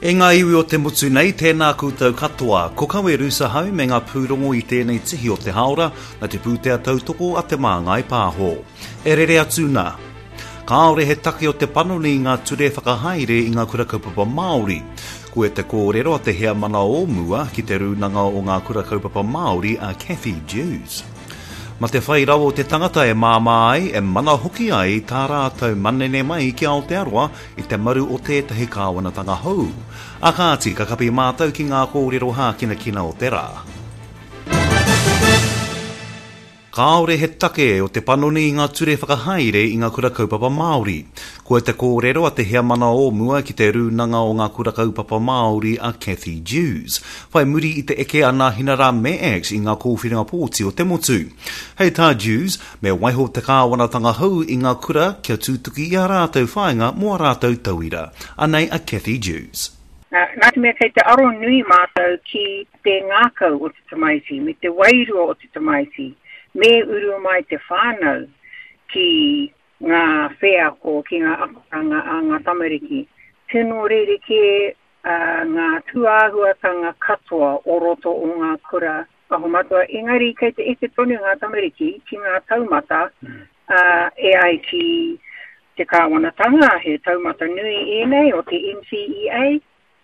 E ngā iwi o te motu nei, tēnā koutou katoa. Ko Kawe Rusa hau me ngā pūrongo i tēnei tihi o te haora, na te pūtea tautoko a Te Māngai Pāho. E rere atu nā. Kāore he take o te panoni i ngā ture whakahaere i ngā kura kaupapa Māori. Koe te kōrero a te heamana o mua ki te Rūnanga o ngā Kura Kaupapa Māori a Cathy Dewes. Ma te whai rawa o te tangata e māmā ai, e mana hoki ai tā rātou manene mai ki Aotearoa i te maru o tētahi kāwanatanga hou. A kāti, ka kapi mātou ki ngā kōrero hākinakina o te rā. Kāore he take o te panoni i ngā ture whakahaere i ngā kura kaupapa Māori. Koia te kōrero a te heamana o mua ki te Rūnanga o Ngā Kura Kaupapa Māori a Cathy Dewes, whai muri i te eke a Nāhinara me act i ngā kōwhiringa pōti o te motu. Hei tā Dewes, me waiho te kāwanatanga hou i ngā kura kia tutuki i ā rātou whāinga mō ā rātou tauira. Anei a Cathy Dewes. Nā te mea kei te aro nui mātou ki te ngākau o te tamaiti me te wairua o te tamaiti, me uru mai te whānau ki ngā wheako, ki ngā akoranga a ngā tamariki. Tino rerekē ngā tūāhuatanga katoa o roto o ngā kura Aho Matua, engari kei te eke tonu ngā tamariki ki ngā taumata e ai ki te kāwanatanga, he taumata nui ēnei o te NCEA,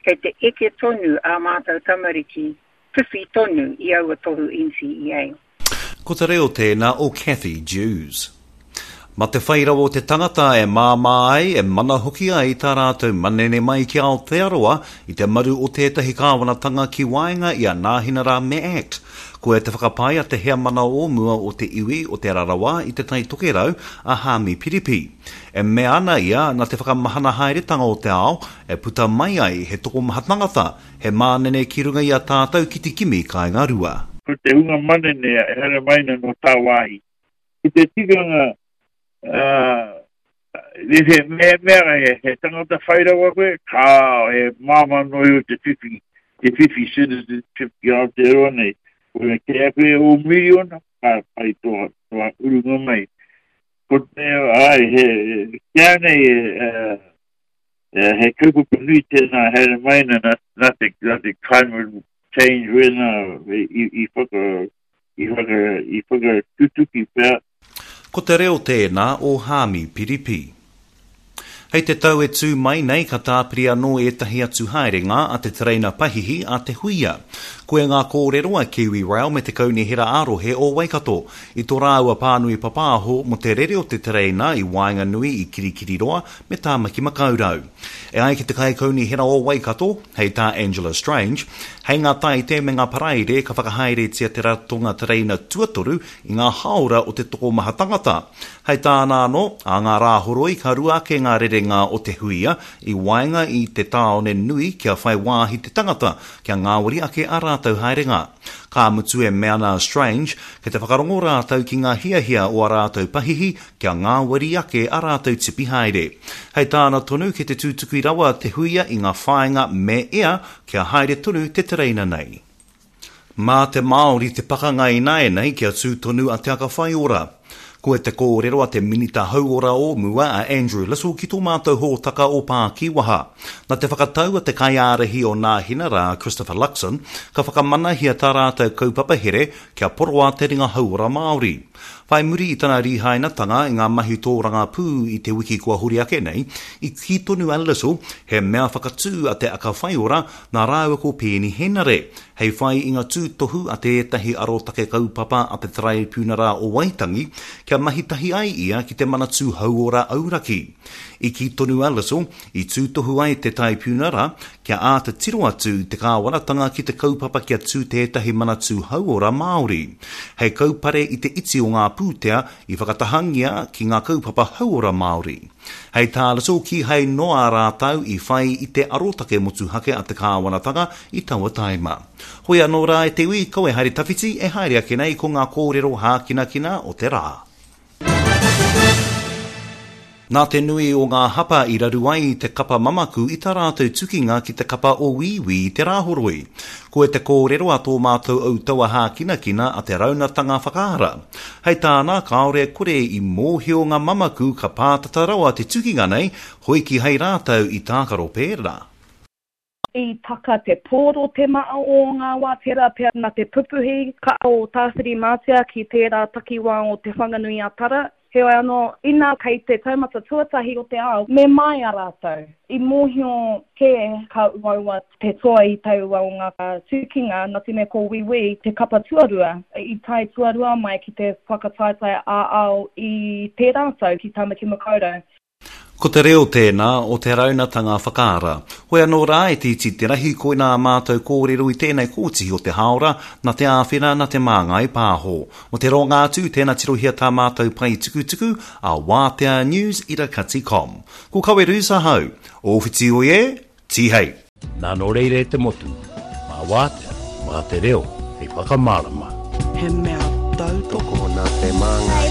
kei te eke tonu ā mātou tamariki, whiwhi tonu i aua tohu NCEA. Ko te reo tēnā o Cathy Dewes. Ma te whai rawa o te tangata e māmā ai, e mana hoki ai tā rātou manene mai ki Aotearoa i te maru o tētahi kāwanatanga ki waenga i a Nāhinara me act. Koia te whakapae a te heamana o mua o te iwi o Te Rarawa i Te Tai Tokerau, a Haami Piripi. E mea ana ia na te whakamahana haeretanga o te ao e puta mai ai he tokomaha tangata, he mānene ki runga i a tātou ki te kimi kāinga rua. Ko te hunga manene e haere mai ana nō tāwāhi. Ko te tikanga, uh, mehemea he, he tangata whai rawa koe, kāo, he māmā noa iho te whiwhi, te whiwhi citizenship ki Aotearoa nei. Ko me kē ake e o miriona, ka pai tō, tō urunga mai. Ko te, ai, he, kia nei, uh, he kaupapa nui tēnā haere mai na, na, na te, na te climate change wēnā i, i whaka, i whaka, i whakatutuki pea. Ko te reo tēnā o Haami Piripi. Hei te tau e tū mai nei ka tāpiri anō ētahi atu haerenga a te tereina pahihi a Te Huia. Koia ngā kōrero a Kiwi Rail me te Kaunihera ā-Rohe o Waikato i tō rāua pānui papāho mō te rere o te tereina i waenganui i Kirikiriroa me Tāmaki Makaurau. E ai ki te Kaikaunihera o Waikato, hei tā Angela Strange, hei ngā Tāite me ngā Paraire ka whakahaeretia te ratonga tereina tuatoru i ngā hāora o te tokomaha tangata. Hei tāna anō, ā ngā Rāhoroi ka rua ake ngā rerenga o te huia i waenga i te tāone nui kia whai wāhi te tangata kia ngāwari ake ā rātou haerenga. Ka mutu e mea ana a Strange, kei te whakarongo rātou ki ngā hiahia o ā rātou pahihi kia ngāwari ake ā rātou tipi haere. Hei tāna tonu kei te tutuki rawa te huia i ngā whāinga me ea kia haere tonu te tereina nei. Mā te Māori te pakanga ināianei kia tū tonu a Te Aka Whaiora. Koe te kōrero a te Minita Hauora o mua a Andrew Little ki tō mātou hōtaka o Pākiwaha. Na te whakatau a te kaiārahi o Nāhinara a Christopher Luxon, ka whakamanahia tā rātou kaupapa here kia poroa te ringa hauora Māori. Whai muri i tana rīhainatanga i ngā mahi tōrangapū i te wiki kua hori ake nei, i kī tonu a Little he mea whakatū a Te Aka Whaiora nā rāua ko Peeni Henare, hei whai i ngā tūtohu a tētahi arotake kaupapa a te Taraipiunara o Waitangi kia mahi tahi ai ia ki te Manatū Hauora Auraki. I kī tonu a Little, i tūtohu ai te Taipiunara kia āta tiro atu te kāwanatanga ki te kaupapa kia tū tētahi manatū hauora Māori, hei kaupare i te iti o ngā pūtea i whakatahangia ki ngā kaupapa hauora Māori. Hei tā Little kīhai noa rātou i whai i te arotake motuhake a te kāwanatanga i taua taima. Hoi anō rā e te iwi, kaua e haere tawhiti, e haere ake nei ko ngā kōrero hākinakina o te rā. Nā te nui o ngā hapa i raru ai te kapa mamaku i tā rātou tukinga ki te kapa o Wīwī i te Rāhoroi. Koe te kōrero a tō mātou autaua hākinakina a te Raunatanga Whakaara. Hei tāna, kāore e kore i mōhio ngā mamaku ka pātata rawa te tukinga nei, hoi kīhai rātou i tākaro pērā. I taka te pōro te maa o ngā wā, tērā pea na te pupuhi ka o Tāwhirimātea ki tērā takiwā o Te Whanganui-a-Tara. Heoi anō, inā kei te taumata tuatahi o te ao, me māia rātou. I mōhio kē ka uaua te toa i taua o ngā tukinga, nā te mea ko Wīwī te kapa tuarua i tae tuarua mai ki te whakataetae ā-ao i tērā tau ki Tāmaki Makaurau. Ko te reo tēnā o te raunatanga whakaara. Hoi anō rā e te iti te rahi koinā ā mātou kōrero i tēnei kōtihi o te hāora, na te āwhina, na Te Māngai Pāho. Mo te roanga atu, tēnā tirohia tā mātou pae tukutuku a Wātea News ira kati com. Ko Kawerus ahau. Ōwhiti oi e, tīhei! Nā nō reira e te motu, mā Wātea, mā te reo hei whakamārama. He mea tautoko nā Te Māngai.